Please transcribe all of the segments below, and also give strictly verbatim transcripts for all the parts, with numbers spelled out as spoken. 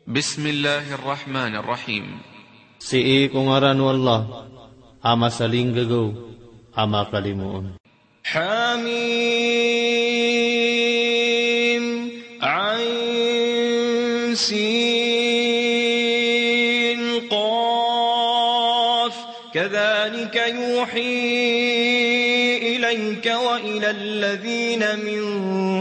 Bismillahir Rahmanir Rahim. Sii ko ngaran o Allah, a masalinggagaw, a makalimoon. Hamim, Ain, Sin, Qaf. Kadhalika yuhi ilayka wa ila alladhina min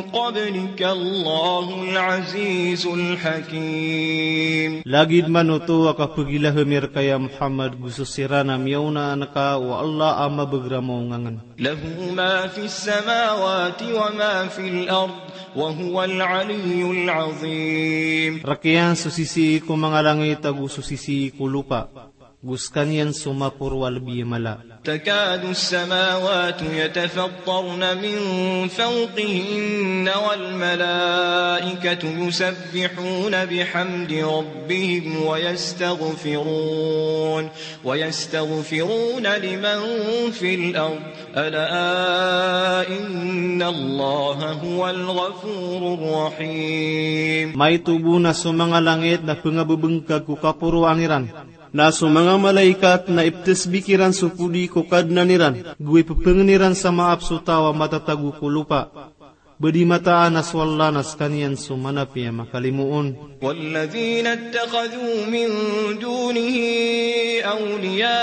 qablika Allahul Azizul Hakim. Lagid man oto a kapagilahem i rka ya Muhammad go so siran a miyaona angka o Allah a mabeger a maongangen. Lahu ma fis samawati wa ma fil ard, wa huwal aliyyul azim. Rk iyan so sisii ko manga langit ago so sisii ko lopa, go skaniyan so maporo a lebi a mala. Takadu as-samawatu yatafattarna min fawqihim wal malaikatu yusabbihuna bihamdi rabbihim wa yastaghfirun, wa yastaghfiruna liman fil ard, ala inna Allaha huwal ghafurur rahim. Maito bo na so manga langit na pengabebengkag ko kaporoan iran, na so manga malaikat na iptasbik iran so podi ko Kadnan iran, go ipepengen iran sa maap so taw a matatago ko lopa. Ba di mataan a so Allah na skaniyan so manapi a makalimoon. Walladhina ittakhadhu min dunihi awliya,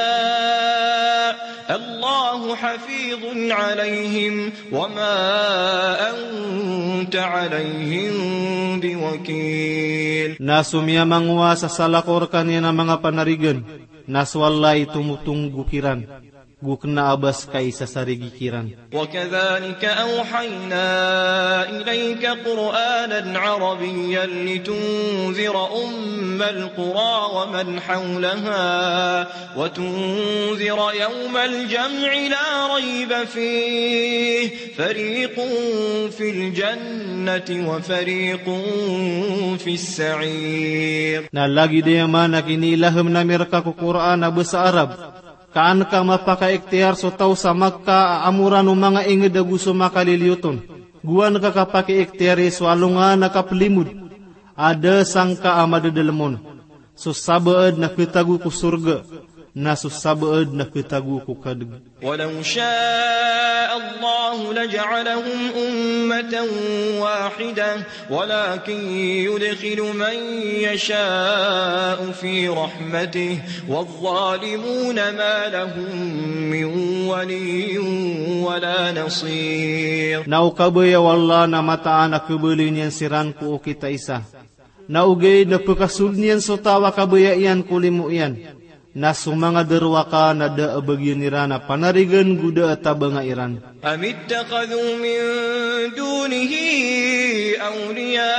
Allahu hafizun alayhim, wa ma anta alayhim biwakil. Na so miyamangowa sa salakaw rkaniyan a manga panarigan, na so Allah i tomotonggok iran, go kena a ba ska i sasarigi kiran. Wa kadhalika awhayna ilayka Qur'anan Arabiyyan litunzira ummal qura wa man hawlaha, wa tunzira yawmal jam'i la rayba fihi, fariqun fil jannati wa fariqun fis sa'ir. Na lagid iyan man a kiniilahem ami rka ko Qur'an a basa Arab, ka an ka mapakaiktiyar so taw sa Makkah a amoran o manga inged ago so makaliliyoton. Go an ka kapakiiktiyari so alongan a kaplimod a da sangka a madadelem on. So sabaad na khatago ko sorga, na so sabaad na khatago ko kadeg. Walaw sha'a Allahu laja'alahum ummatan wahidah, walakin yudkhilu man yasha'u fi rahmatihi, wadh-dhalimuna ma lahum min waliyyin wala nasir. Na o kabaya o Allah na mataan a khabaloy niyan siran ko okit a isa, na ogaid na phakasold iyan so taw a kabaya iyan ko limo iyan, na so manga darowaka na da a bagian iran a panarigan go da a tabanga iran. Am ittakhadhu min dunihi awliya,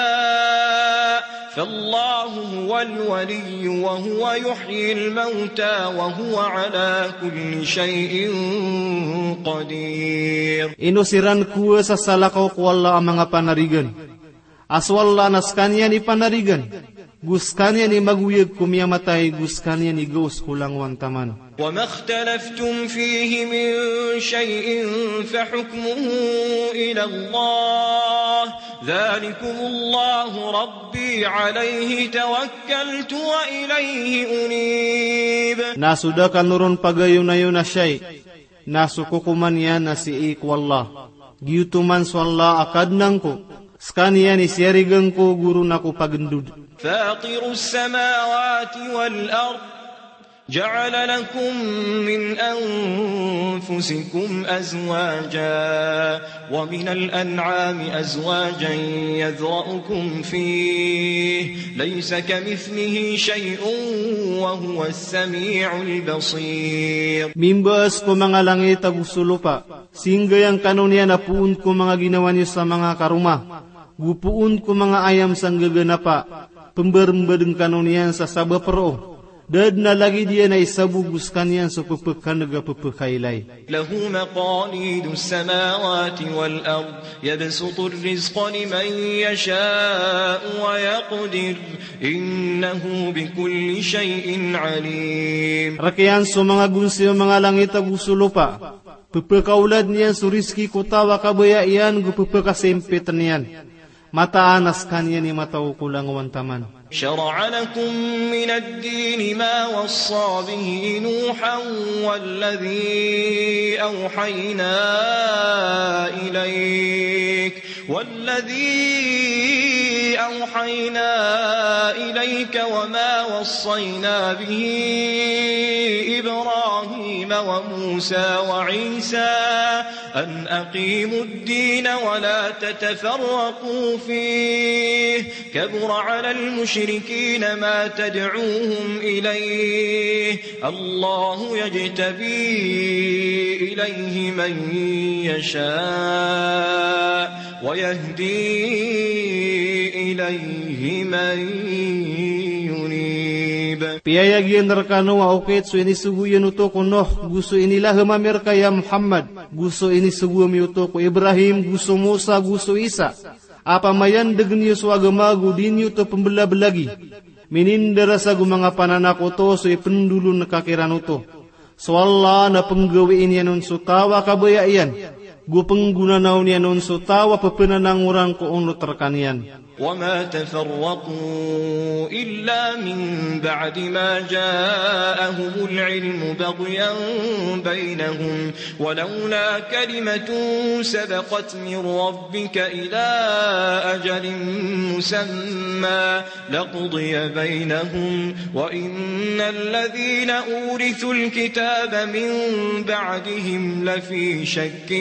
fallahu huwal waliyyu wa huwa yuhyil mawta wa huwa ala kulli shay'in qadir. Ino siran kowaa sa salakaw ko Allah a manga panarigan, a so Allah na skaniyan i panarigan, go skaniyan i magoyag ko miyamatay, go skaniyan i gaos ko langowan taman. Wa ma ikhtalaftum fihi min shay'in fa hukmuhu ila Allah, dhalikumullahu rabbi alayhi tawakkaltu wa ilayhi unib. Na so da kano ron pagayonayon a shay', na so kokoman iyan na sii ko Allah. Giyoto man so Allah a Kadnan ko, skaniyan i siyarigan ko, go ron ako pagendod. Fatirus samawati wal ard, ja'ala lakum min anfusikum azwaja, wa minal an'ami azwajan yadhra'ukum fih, laysa kamithlihi shay'un wa huwas sami'ul basir. Mimbaas ko manga langit ago so lopa, singgayang kano niyan a poon ko manga ginawa niyo sa manga karoma, go poon ko manga ayam sa nggaganapa, pembarembaden kano niyan sa sabap roo. Da den a lagid iyan a isa bo go skaniyan so pepekaneg a pepekailay. Lahu maqalidus samawati wal ard, yabsutur rizqa liman yasha'u wa yaqdir, innahu bikulli shay'in alim. Rk iyan so manga gonsi o manga langit ago so lopa, pepekaolad niyan so rizki ko taw a kabaya iyan go pepekasimpit niyan. Mataan a skaniyan i mataw ko langowan taman. شرع لكم من الدين ما وصى به نوحا والذي أوحينا إليك، والذي أوحينا إليك وما وصينا به إبراهيم وموسى وعيسى أن أقيموا الدين ولا تتفرقوا فيه، كبر على المشركين ما تدعوهم إليه، الله يجتبي إليه من يشاء ويهدي إليه من ينيب. Piyayag iyan rkano a okit so inisogo iyan oto ko Nuh, go so inilahem ami rka ya Muhammad, go so inisogo ami oto ko Ibrahim, go so Musa, go so Isa. Apiya mayandeg niyo so agama go di niyo oto pembelablagi, minindara sa go manga pananak oto so ipendolon ka kiran oto. So Allah na penggawii niyan on so taw a kabaya iyan, go penggonanaw niyan on so taw a pepenanangoran ko onot rkaniyan. وما تفرقوا إلا من بعد ما جاءهم العلم بغيا بينهم، ولولا كلمة سبقت من ربك إلى أجل مسمى لقضي بينهم، وإن الذين أورثوا الكتاب من بعدهم لفي شك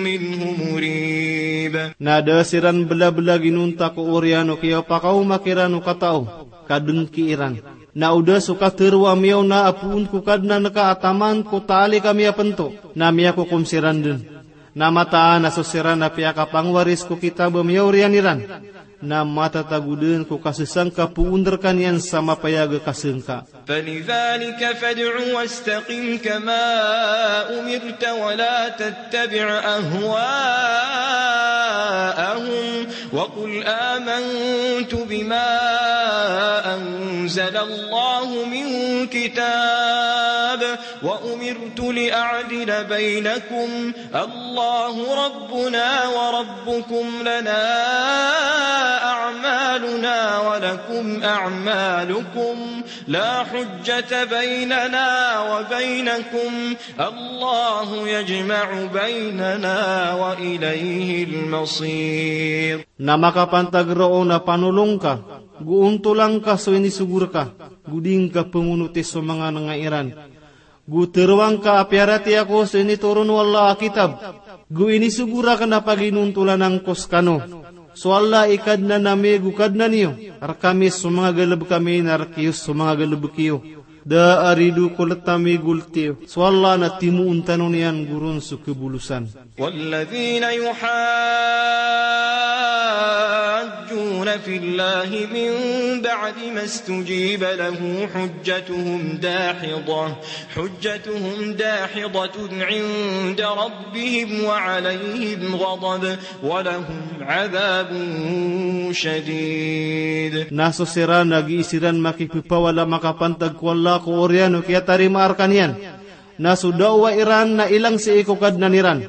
منه مريب. Na da siran belabelagi nonta ko oriyan o kiyapakaoma kiran o katao, ka dengki iran. Na o da so katharo a miyaona a poon ko Kadnan ka a taman ko taalik a miyapento, na miyakokom siran den. Na mataan a so siran a piyakapangowaris ko kitab a miyaoriyan iran na matatago den ko kasesangka poon rkaniyan sa mapayag a kasengka. فلذلك فادع واستقم كما أمرت ولا تتبع أهواءهم وقل آمنت بما أنزل الله من كتاب وأمرت لأعدل بينكم الله ربنا وربكم لنا أعمالنا ولكم أعمالكم لا حجة بيننا وبينكم الله يجمع بيننا وإليه المصير. Na makapantag roo na panolong ka, go ontolan ka so inisogo rka, go di ngka pengonoti so manga nengairan. Go tharoang ka a piyaratiyaya ko so initoron o Allah a kitab, go inisogo raken a paginontolanan ko sekano. So Allah i Kadnan ami go Kadnan iyo, rkami so manga galebek ami na rk iyo so manga galebek iyo. Da a rido ko let ami go let iyo. So Allah na timoon tano niyan go ron so kebolosan. والذين يحاجون في الله من بعد ما استجيب له حجتهم داحضة، حجتهم داحضة عند ربهم وعليهم غضب ولهم عذاب شديد. Na so siran a gii siran makipepawala makapantag ko Allah ko oriyan o kiyatarimaa rkaniyan. Na so dawa iran na ilang sii ko Kadnan iran.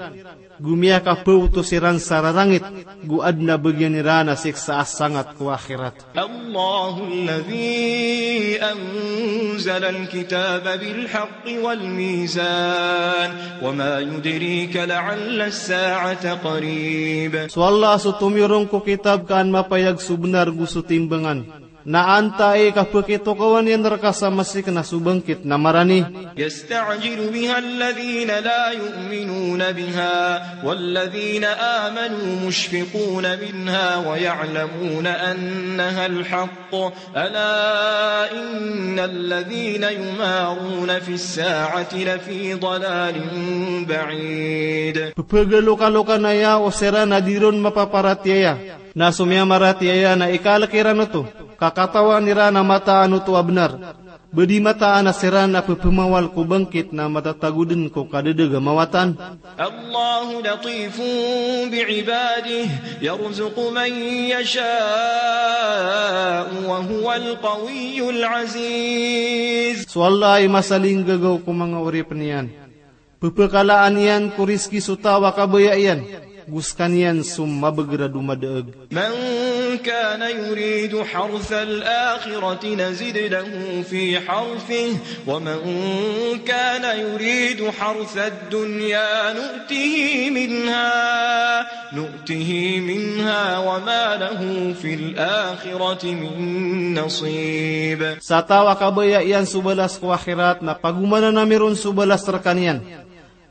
Go miyakapaoto siran sa rarangit, go aden a bagian iran a siksa a sangat ko akhirat. الله الذي أنزل الكتاب بالحق والميزان وما يدريك لعل الساعة قريب. So Allah so tomiyorong ko kitab ka an mapayag so benar go so timbangan. Na antaa i kapekitokawan iyan rka sa masik na so bangkit na marani. يستعجل بها الذين لا يؤمنون بها والذين آمنوا مشفقون منها ويعلمون أنها الحق ألا إن الذين يمارون في الساعة لفي ضلال بعيد. Pepegalokalokan aya o siran a di ron mapaparatiyaya. Na so miyamaratiyaya na ikalek iran oto, ka katawan iran a mataan oto a benar. Ba di mataan a siran a pepemawal ko bangkit na matatago den ko kadedeg a mawatan. الله لطيف بعباده يرزق من يشاء وهو القوي العزيز. So Allah i masalinggagaw ko manga oripen iyan. Pepekalaan iyan ko rizki so taw a kabaya iyan. Go sekaniyan so mabegr a domadaeg. من كان يريد حرث الآخرة نزد له في حرثه ومن كان يريد حرث الدنيا نؤته منها، نؤته منها وما له في الآخرة من نصيب. Sa taw a kabaya iyan so balas ko akhirat na pagomanan ami ron so balas rekaniyan.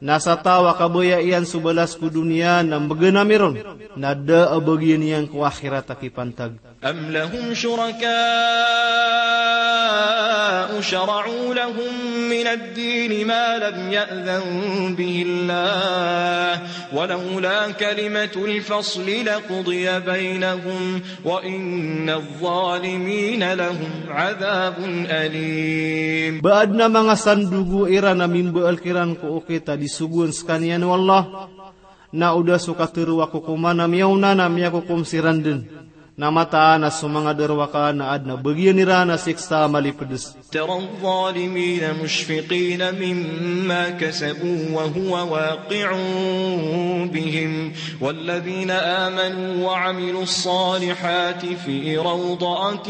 Na sa taw a kabaya iyan so balas ko doniya na mbegan ami ron, na da a bagian iyan ko akhirat a kipantag. أم لهم شركاء شرعوا لهم من الدين ما لم يأذن به الله ولولا كلمة الفصل لقضي بينهم وإن الظالمين لهم عذاب أليم. Ba aden a manga sandogo iran a mimbaal kiran ko okit a di sogoan sekaniyan o Allah, na o da so katharo a kokoman a miyaona na miyakokom siran den. Na mataan a so manga darowaka na aden a bagian iran a siksa a malipedes. ترى الظالمين مشفقين مما كسبوا وهو واقع بهم والذين آمنوا وعملوا الصالحات في روضات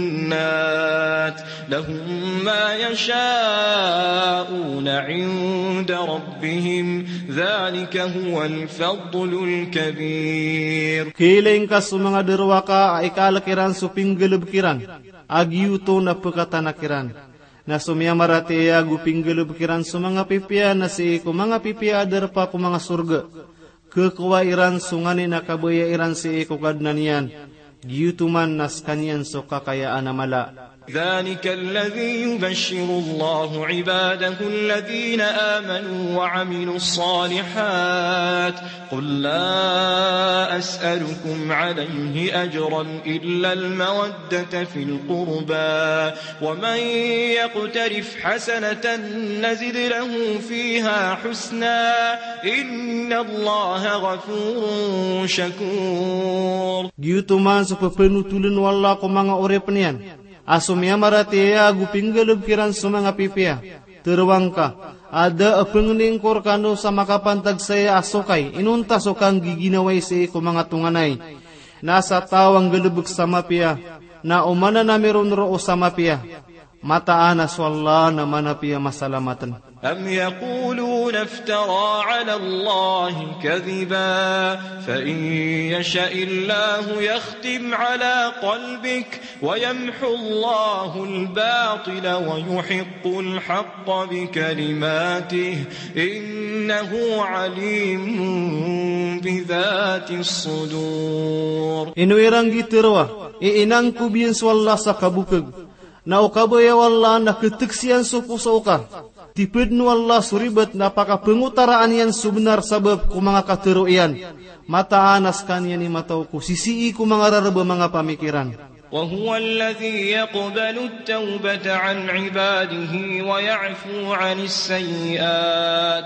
الجنات لهم ما يشاءون عند ربهم ذلك هو الفضل الكبير. Kiling ka so manga darowaka a ikaalek iran so pinggalebek iran a giyoto na pekatanak iran. Na so miyamaratiyaya go pinggalebek iran so manga pipiya na sii ko manga pipiya a darpa ko manga sorga. Kekowa iran so nganin a kabaya iran sii ko Kadnan iyan. Giyoto man na sekaniyan so kakayaan a mala. ذلك الذي يبشر الله عباده الذين آمنوا وعملوا الصالحات قل لا أسألكم عليه أجرا إلا المودة في القربى ومن يقترف حسنة نزد له فيها حسنا إن الله غفور شكور. Giyoto man so pepenotolen o Allah ko manga oripen iyan a so miyamaratiyaya go pinggalebek iran so manga pipiya. Tharoang ka a da a pengeningko rekano sa makapantag saya a sokay inonta so kanggiginawai sii ko manga tonganay. Na sa taw a nggalebek sa mapiya na omanan ami ron roo sa mapiya. Mataan a so Allah na manapiya masalamaten. أم يقولون افترى على الله كذبا فإن يشأ الله يختم على قلبك ويمحو الله الباطل ويحق الحق بكلماته إنه عليم بذات الصدور. Ino iran gii tharoa i inangkob iyan so Allah sa kabokeg. Na o kabaya o Allah na keteksiyan so poso oka. Tipeden o Allah so ribat na pakapengotaraan iyan so benar sabap ko manga katharo iyan. Mataan a sekaniyan i matao ko sisii ko manga rareb a manga pamikiran. وهو الذي يقبل التوبة عن عباده ويعفو عن السيئات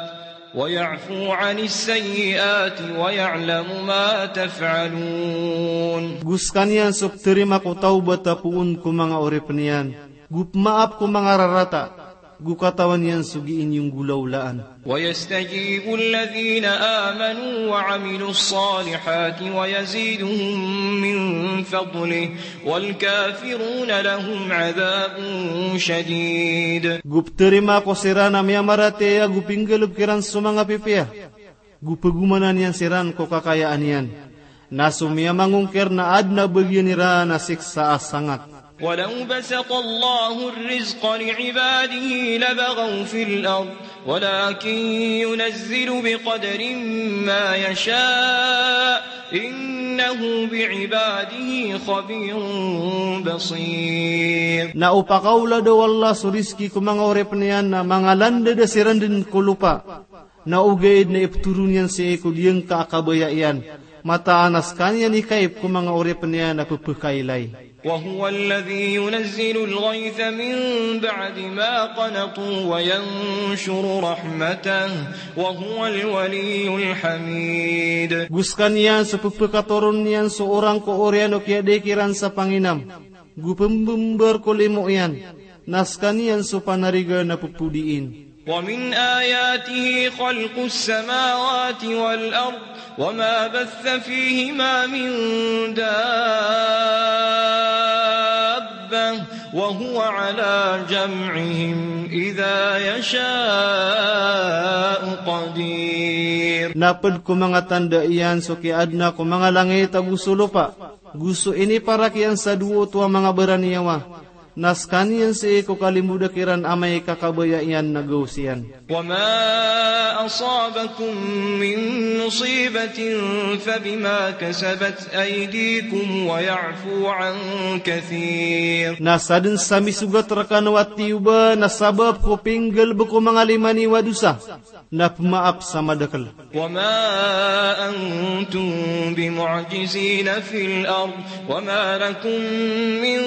ويعفو عن السيئات ويعلم ما تفعلون. Go sekaniyan so peterima ko tawbat a poon ko manga oripen iyan, go pemaap ko manga rarata, go katawan iyan so gii niyo nggolawlaan. ويستجيب الذين آمنوا وعملوا الصالحات ويزيدهم من فضله والكافرون لهم عذاب شديد. Go peterima ko siran a miyamaratiyaya go pinggalebek iran so manga pipiya. Go pegomanan iyan siran ko kakayaan iyan. Na so miyamangongkir na aden a bagian iran a siksa a sangat. ولو بسط الله الرزق لعباده لبغوا في الأرض ولكن ينزل بقدر ما يشاء إنه بعباده خبير بصير. Na o pakaolada o Allah so rizki ko manga oripen iyan na mangalandada siran den ko lopa. Na ogaid na ipetoron iyan sii ko giyangkai a kabaya iyan. Mataan a sekaniyan i kaib ko manga oripen iyan a pepekailay. وهو الذي ينزل الغيث من بعد ما قنطوا وينشر رحمته وهو الولي الحميد. Go sekaniyan so pepekatoron iyan so orang ko oriyan o kiyadai kiran sa panginam. Go pembembar ko limo iyan. Na sekaniyan so panarigan a pepodiin. ومن آياته خلق السماوات والأرض وما بث فيهما من دابة وهو على جمعهم إذا يشاء قدير. Na pd ko manga tanda iyan so kiyaadna ko manga langit ago so lopa, go so iniparak iyan sa dowa oto a manga baraniyawa, na skaniyan sii ko kalimbodk iran amay ka kabaya iyan na gawos iyan. وما أصابكم من مصيبة فبما كسبت أيديكم ويعفو عن كثير. Na sadn sa misogat rkano a tiyoba na sabap ko pinggalbk o manga lima niyo a dosa, na pmaap sa madakl. وما أنتم بمعجزين في الأرض وما لكم من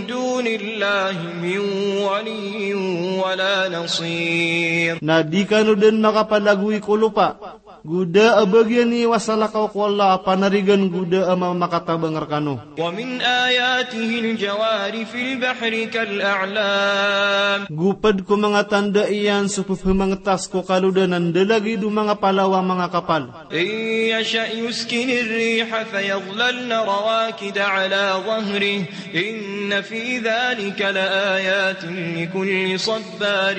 دون الله من ولي ولا نصير. Na di kano dn makapalagoy ko lopa, go da a bagian iyo a salakaw ko Allah a panarigan go da a mamakatabang rkano. ومن آياته الجوار في البحر كالأعلام. Go pd ko manga tanda iyan so pphamangtas ko kalodan a ndalagid o manga palaw a manga kapal. إن يشأ يسكن الريح فيظللن رواكد على ظهره إن في ذلك لآيات لكل صبار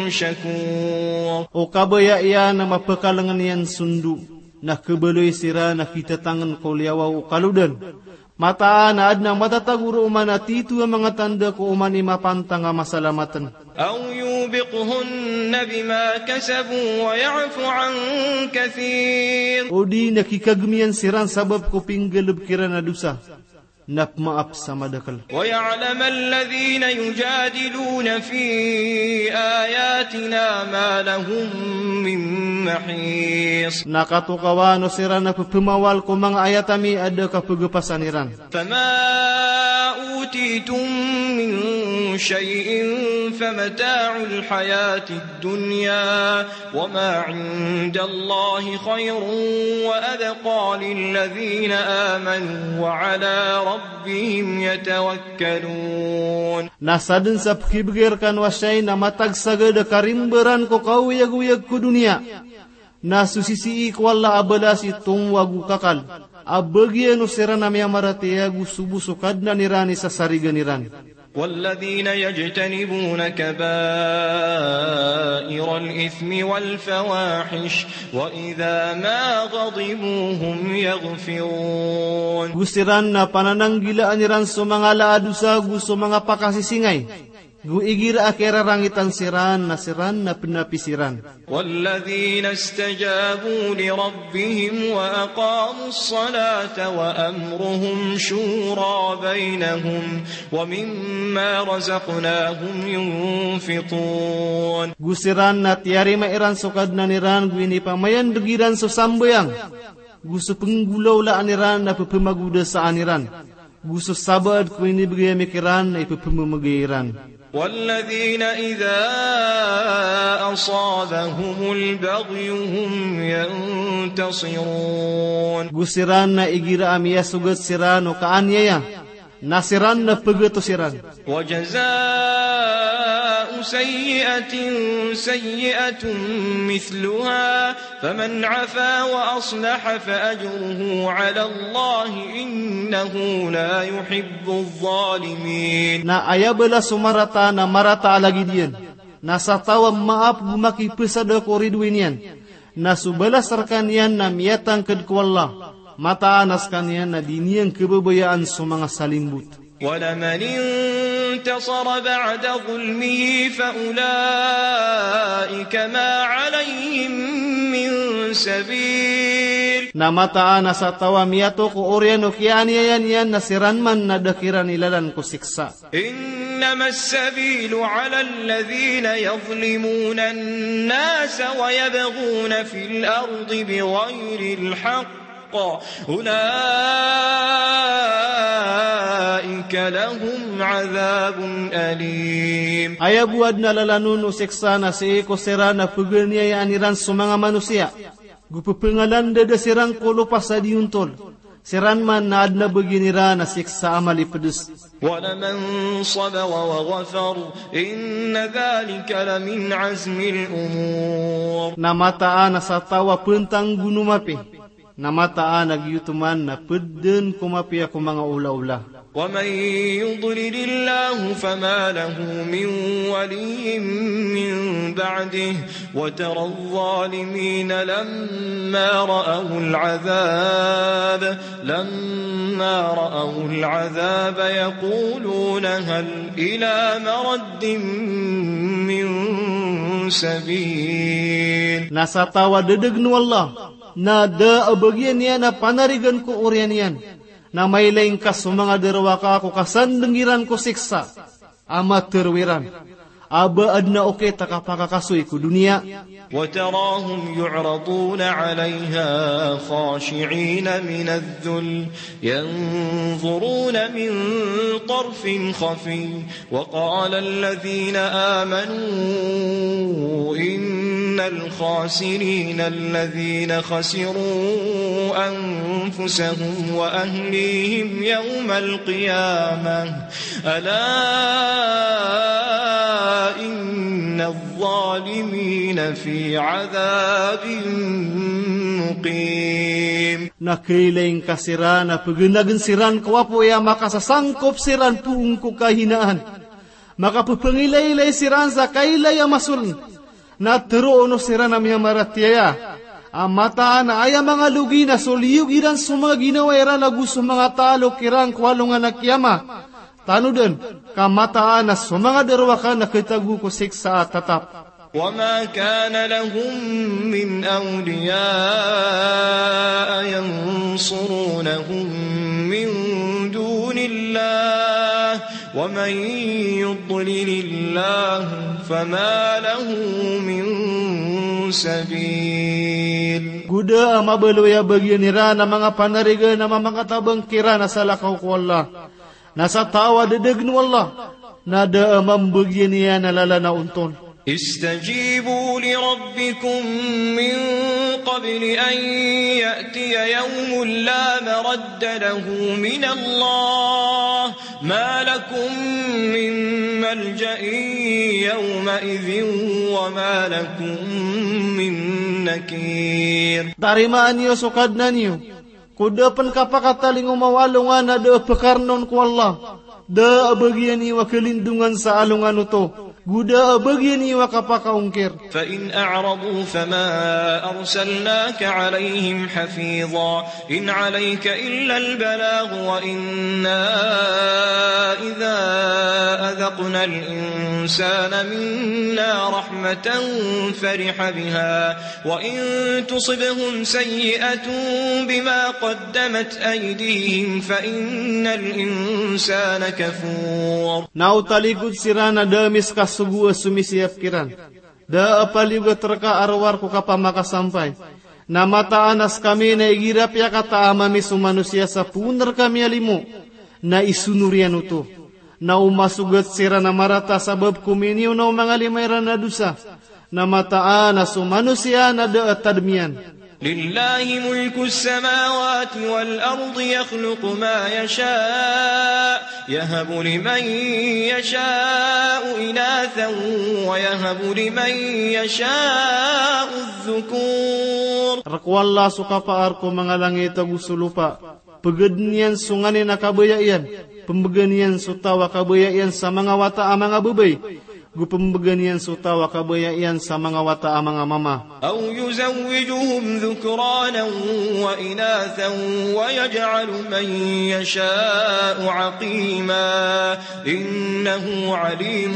شكور. O kabaya iyan a mapakalngn iyan so ndo, na khabaloy siran a kitatangn ko liyawaw o kalodan. Mataan a adn a matatago roo man a tito a manga tanda ko oman i mapantang a masalamatn. أو يوبقهن بما كسبوا ويعف عن كثير. O di na kikagm iyan siran sabap ko pinggalbk iran a dosa, na pmaap sa madakl. ويعلم الذين يجادلون في آياتنا ما لهم من محيص. Na katokawan o siran a pphamawal ko manga ayat ami a da kapgpasan iran. فما أوتيتم من شيء فمتاع الحياة الدنيا وما عند الله خير وأبقى للذين آمنوا وعلى ربهم يتوكلون. Na sadn sa pkhibgay rkano a shayi na matagsagad a karimbaran ko kaoyagoyag ko doniya. Na so sisii ko Allah a balas i tomo ago kakal a bagian o siran a miyamaratiyaya go so bo so Kadnan iran i sasarigan iran. والذين يجتنبون كبائر الإثم والفواحش وإذا ما غضبوا هم يغفرون. Go siran na panananggilaan iran so manga ala a dosa go so manga pakasisingay. Go igira a kirarangitan siran na siran na pnapi siran. والذين استجابوا لربهم وأقاموا الصلاة وأمرهم شورى بينهم ومما رزقناهم ينفقون. Go siran na tiyarima iran so Kadnan iran go inipamayandg iran so sambayang. Go so pnggolawlaan iran na ppmagodasaan iran. Go so sabaad ko inibgay ami kiran na ippphamamagay iran. والذين إذا أصابهم البغي هم ينتصرون. Go siran na igira a miyasogat siran o kaaniyaya, na siran na pgatos iran. وجزاء سيئة سيئة مثلها فمن عفا وأصلح فأجره على الله إنه لا يحب الظالمين. Na aya balas o marata na marata a lagid iyan. Na sa taw a maap go makipasada ko ridoay niyan, na so balas rkaniyan na miyatangkd ko Allah. Mataan a skaniyan na di niyan khababayaan so manga salimbot. ولمن انتصر بعد ظلمه فأولئك ما عليهم من سبيل. Na mataan a sa taw a miyato ko oriyan o kiyaaniyaya niyan na siran man na da kiran i lalan ko siksa. إنما السبيل على الذين يظلمون الناس ويبغون في الأرض بغير الحق أولئك لهم عذاب أليم. Aya bo a adn a lalan on o siksa na sii ko siran a pganiyayaan iran so manga manosiya, go pphangalandada siran ko lopa sa di ontol, Siran man na adn a bagian iran a siksa a malipds. ولمن صبر وغفر إن ذلك لمن عزم الأمور. Na mataan a sa taw a pntanggon o mapiya, na mataan a giyoto man na pd dn ko mapiya ko manga olaola. ومن يضلل الله فما له من ولي من بعده وترى الظالمين لما رأوا العذاب، لما رأوا العذاب يقولون هل إلى مرد من سبيل. Na sa taw a ddgn o Allah, na da a bagian iyan a panarigan ko oriyan iyan, na mailay ngka so manga drowaka ko kasandng iran ko siksa a matero iran a ba adn a okit a kapakakasoy ko doniya. وتراهم يعرضون عليها خاشعين من الذل ينظرون من طرف خفي وقال الذين آمنوا إن الخاسرين الذين خسروا أنفسهم وأهليهم يوم القيامة ألا إن الظالمين في عذاب مقيم. Na kailay ngka siran a pgnagn siran ko apoy a makasasangkop siran poon ko kahinaan. Makapphangilay-ilay siran sa kailay a masoln. Na tharoon o siran a miyamaratiyaya a mataan a aya manga logi na so liyog iran so manga ginawa iran ago so manga talok iran ko alongan a kiyamat. Tanodan, ka mataan a so manga drowaka na khatago ko siksa a tatap. وما كان لهم من أولياء ينصرونهم من دون الله ومن يضلل الله فما له من سبيل. Go da a mabaloy a bagian iran a manga panarigan a mamakatabang kiran a salakaw ko Allah. Na sa taw a ddgn o Allah, na da a mambagian iyan a lalan a onton. استجيبوا لربكم من قبل أن يأتي يوم لا مرد له من الله ما لكم من ملجأ يومئذ وما لكم من نكير. Tarimaan iyo so Kadnan iyo. Ko da pn kapakatalingoma o alongan a da a pkarnon ko Allah, da a bagian iyo a kalindongan sa alongan oto, go da a bagian iyo a kapakaongkir. فإن أعرضوا فما أرسلناك عليهم حفيظا إن عليك إلا البلاغ وإنا إذا أذقنا الإنسان منا رحمة فرح بها وإن تصبهم سيئة بما قدمت أيديهم فإن الإنسان كفور. Na o talikod siran a da a miskasogo a somisiyap kiran, da a paliyogat rka a rowar ko kapamakasampay. Na mataan a skami na igira piyakata a mami so manosiya sa poon rka miyalimo, na isonor iyan oto. Na o masogat siran a marata sabap ko miniyonaw o manga lima iran a dosa, na mataan a so manosiya na da a tadm iyan. لله ملك السماوات والأرض يخلق ما يشاء يهب لمن يشاء إناثا ويهب لمن يشاء الذكور. Rk o Allah so kapaar ko manga langit ago so lopa. Pgdn iyan so nganin a kabaya iyan, pmbgan iyan so taw a kabaya iyan sa manga wata a manga babay, go pmbgan iyan so taw a kabaya iyan sa manga wata a manga mama. أو يزوجهم ذكرانا وإناثا ويجعل من يشاء عقيما إنه عليم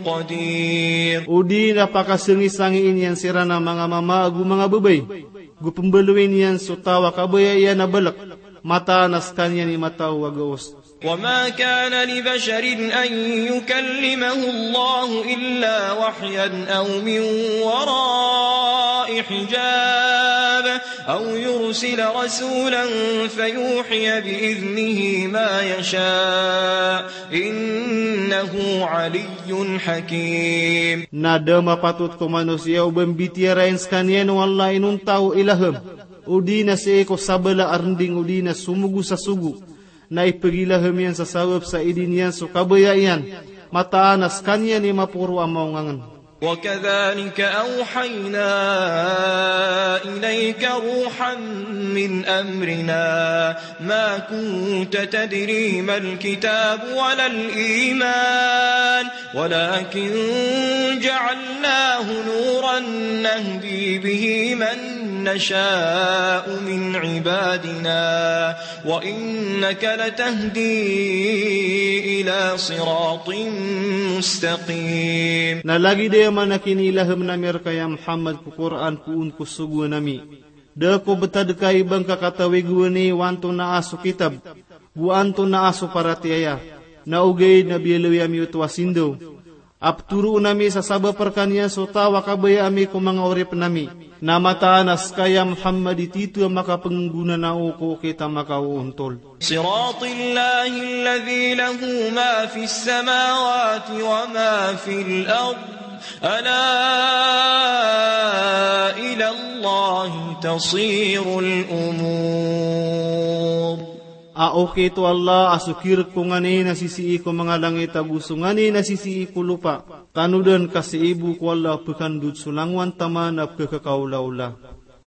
قدير. O di na pakasngisangiin iyan siran a manga mama ago manga babay, go pmbaloyin iyan so taw a kabaya iyan a balk, mataan a skaniyan i mataw a gaos. وما كان لبشر أن يكلمه الله إلا وحيا أو من وراء حجاب أو يرسل رسولا فيوحي بإذنه ما يشاء إنه علي حكيم. Na da mapatot ko manosiya o ba mbitiyarai skaniyan o Allah inonta o ilaham, odi na sii ko sabala a rnding odi na somogo sa sogo, na ipagilaham iyan sa sabap sa idin iyan so kabaya iyan, mataan a skaniyan i maporo a maongangn. وكذلك أوحينا إليك روحا من أمرنا ما كنت تدري ما الكتاب ولا الإيمان ولكن جعلناه نورا نهدي به من نشاء من عبادنا وإنك لتهدي إلى صراط مستقيم. Na lagid aya maana a kinilaham ami rka ya Muhammad ko Qur'an ko on ko sogoan ami. Da ko btad ka i ba ngka katawi gowani o antonaa so kitab, go antonaa so paratiyaya. Na ogaid na biyaloy ami oto a sindaw a ptoroon ami sa sabap rkaniyan so taw a kabaya ami ko manga oripn ami. Na mataan a ska ya Muhammad i tito a makapnggonanao ko okit a makaoontol. صراط الله الذي له ما في السماوات وما في الأرض ألا إلى الله تصير الأمور. A okit o Allah a so kirk ko nganin a sisii ko manga langit ago so nganin a sisii ko lopa. Tanodan ka sii bo ko Allah a pkandod so langowan taman a pkhakaolaola.